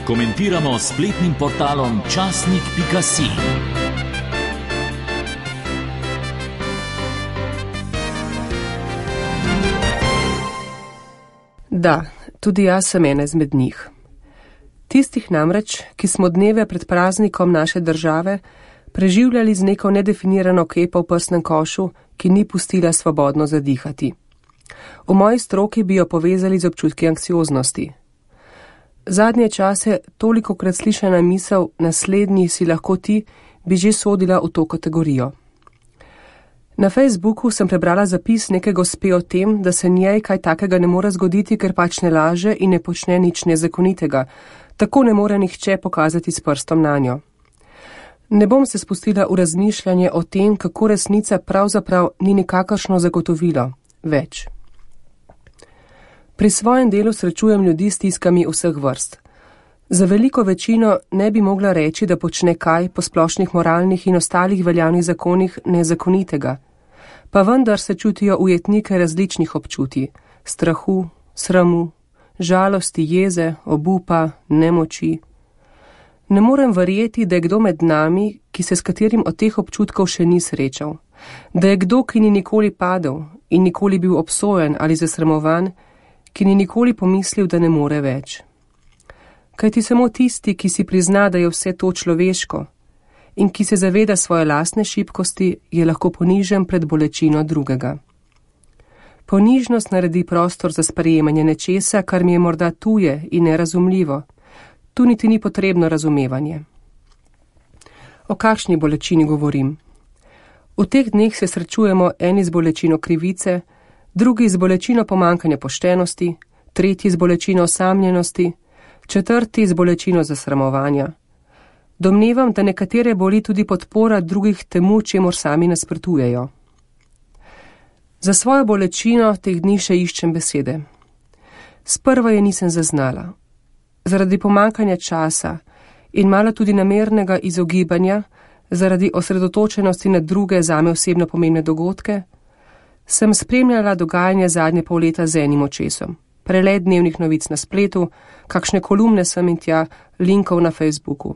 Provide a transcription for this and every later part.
komentiramo s spletnim portalom časnik.si. Da, tudi jaz sem ena izmed njih. Tistih namreč, ki smo dneve pred praznikom naše države preživljali z neko nedefinirano kepo v prsnem košu, ki ni pustila svobodno zadihati. V moji stroki bi jo povezali z občutki anksioznosti. Zadnje čase tolikokrat slišana misel, naslednji si lahko ti, bi že sodila v to kategorijo. Na Facebooku sem prebrala zapis neke gospe o tem, da se njej kaj takega ne more zgoditi, ker pač ne laže in ne počne nič nezakonitega, tako ne more nihče pokazati s prstom nanjo. Ne bom se spustila v razmišljanje o tem, kako resnica pravzaprav ni nikakršno zagotovilo, več. Pri svojem delu srečujem ljudi s stiskami vseh vrst. Za veliko večino ne bi mogla reči, da počne kaj po splošnih moralnih in ostalih veljavnih zakonih nezakonitega, pa vendar se čutijo ujetnike različnih občutij, strahu, sramu, žalosti, jeze, obupa, nemoči. Ne morem verjeti, da je kdo med nami, ki se s katerim od teh občutkov še ni srečal, da je kdo, ki ni nikoli padel in nikoli bil obsojen ali zasramovan, ki ni nikoli pomislil, da ne more več. Kajti samo tisti, ki si prizna, da je vse to človeško in ki se zaveda svoje lastne šibkosti, je lahko ponižen pred bolečino drugega. Ponižnost naredi prostor za sprejemanje nečesa, kar mi je morda tuje in nerazumljivo. Tu niti ni potrebno razumevanje. O kakšni bolečini govorim? V teh dneh se srečujemo eni z bolečino krivice, drugi z bolečino pomankanja poštenosti, tretji z bolečino osamljenosti, četrti z bolečino zasramovanja. Domnevam, da nekatere boli tudi podpora drugih temu, čemur sami nasprotujejo. Za svojo bolečino teh dni še iščem besede. Sprva je nisem zaznala. Zaradi pomankanja časa in malo tudi namernega izogibanja, zaradi osredotočenosti na druge zame osebno pomembne dogodke, sem spremljala dogajanje zadnje pol leta z enim očesom. Prelet dnevnih novic na spletu, kakšne kolumne sem in tja, linkov na Facebooku.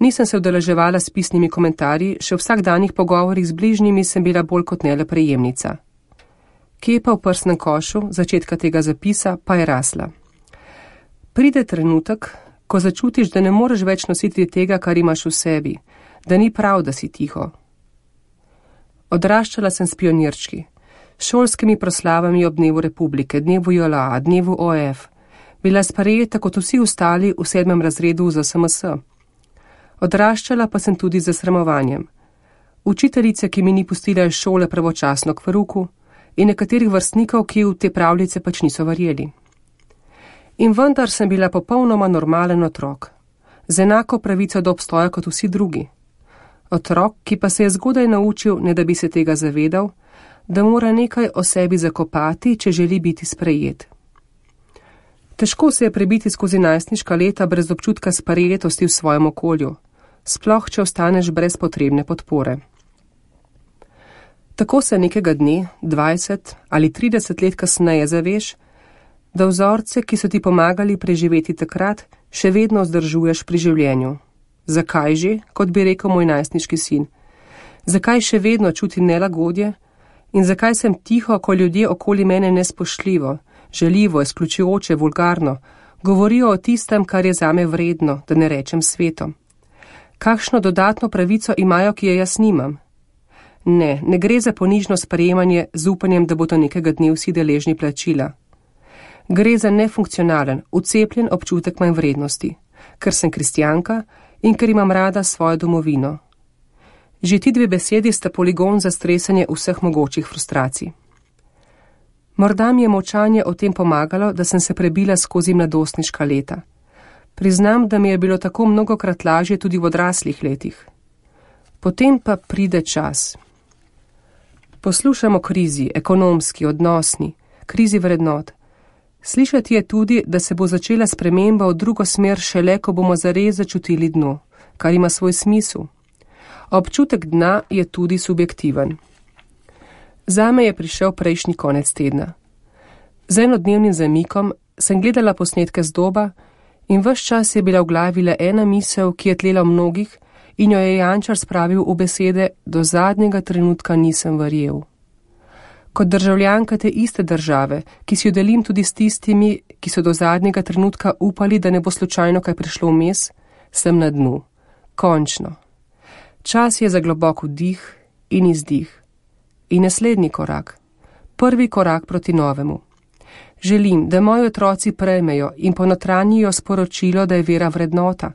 Nisem se udeleževala s pisnimi komentarji, še v vsakdanjih pogovorih z bližnjimi sem bila bolj kot ne le prejemnica. Kepa v prsnem košu, začetka tega zapisa, pa je rasla. Pride trenutek, ko začutiš, da ne moreš več nositi tega, kar imaš v sebi, da ni prav, da si tiho. Odraščala sem s pionirčki, šolskimi proslavami ob dnevu Republike, dnevu JLA, dnevu OF. Bila sprejeta kot vsi ostali v 7. razredu za SMS. Odraščala pa sem tudi z zasramovanjem. Učiteljice, ki mi ni pustila iz šole pravočasno k veruku, in nekaterih vrstnikov, ki v te pravljice pač niso verjeli. In vendar sem bila popolnoma normalen otrok, z enako pravico do obstoja kot vsi drugi. Otrok, ki pa se je zgodaj naučil, ne da bi se tega zavedal, da mora nekaj o sebi zakopati, če želi biti sprejet. Težko se je prebiti skozi najstniška leta brez občutka sprejetosti v svojem okolju, sploh če ostaneš brez potrebne podpore. Tako se nekega dne, 20 ali 30 let kasneje zaveš, da vzorce, ki so ti pomagali preživeti takrat, še vedno vzdržuješ pri življenju. Zakaj že, kot bi rekel moj najstniški sin? Zakaj še vedno čutim nelagodje? In zakaj sem tiho, ko ljudje okoli mene nespoštljivo, žaljivo, izključujoče, vulgarno, govorijo o tistem, kar je zame vredno, da ne rečem sveto? Kakšno dodatno pravico imajo, ki jo jaz nimam? Ne gre za ponižno sprejemanje z upanjem, da bodo nekega dne vsi deležni plačila. Gre za nefunkcionalen, ucepljen občutek manj vrednosti, ker sem kristjanka in ker imam rada svojo domovino. Že ti dve besedi sta poligon za stresanje vseh mogočih frustracij. Morda mi je molčanje o tem pomagalo, da sem se prebila skozi mladostniška leta. Priznam, da mi je bilo tako mnogokrat lažje tudi v odraslih letih. Potem pa pride čas. Poslušamo o krizi, ekonomski, odnosni, krizi vrednot. Slišati je tudi, da se bo začela sprememba v drugo smer šele, ko bomo zares začutili dno, kar ima svoj smisel. Občutek dna je tudi subjektiven. Zame je prišel prejšnji konec tedna. Z enodnevnim zamikom sem gledala posnetke z Doba In ves čas je bila v glavi le ena misel, ki je tlela v mnogih in jo je Jančar spravil v besede: do zadnjega trenutka nisem verjel. Kot državljanka te iste države, ki si jo delim tudi s tistimi, ki so do zadnjega trenutka upali, da ne bo slučajno kaj prišlo vmes, sem na dnu. Končno. Čas je za globok vdih in izdih. In naslednji korak. Prvi korak proti novemu. Želim, da moji otroci prejmejo in ponotranjijo sporočilo, da je vera vrednota,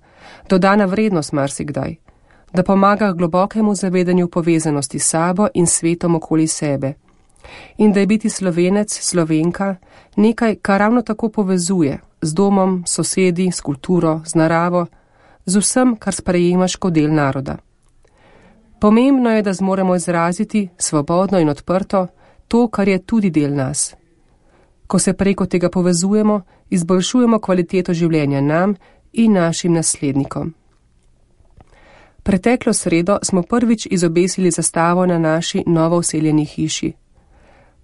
dodana vrednost marsikdaj, da pomaga globokemu zavedanju povezanosti s sabo in svetom okoli sebe. In da je biti Slovenec, Slovenka, nekaj, kar ravno tako povezuje z domom, sosedi, s kulturo, z naravo, z vsem, kar sprejemaš kot del naroda. Pomembno je, da zmoremo izraziti, svobodno in odprto, to, kar je tudi del nas. Ko se preko tega povezujemo, izboljšujemo kvaliteto življenja nam in našim naslednikom. Preteklo sredo smo prvič izobesili zastavo na naši novo vseljeni hiši.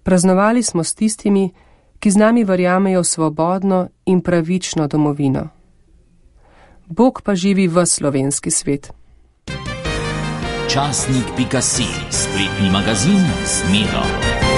Praznovali smo s tistimi, ki z nami verjamejo v svobodno in pravično domovino. Bog pa živi v slovenski svet. Časnik.si, spletni magazin z Miro.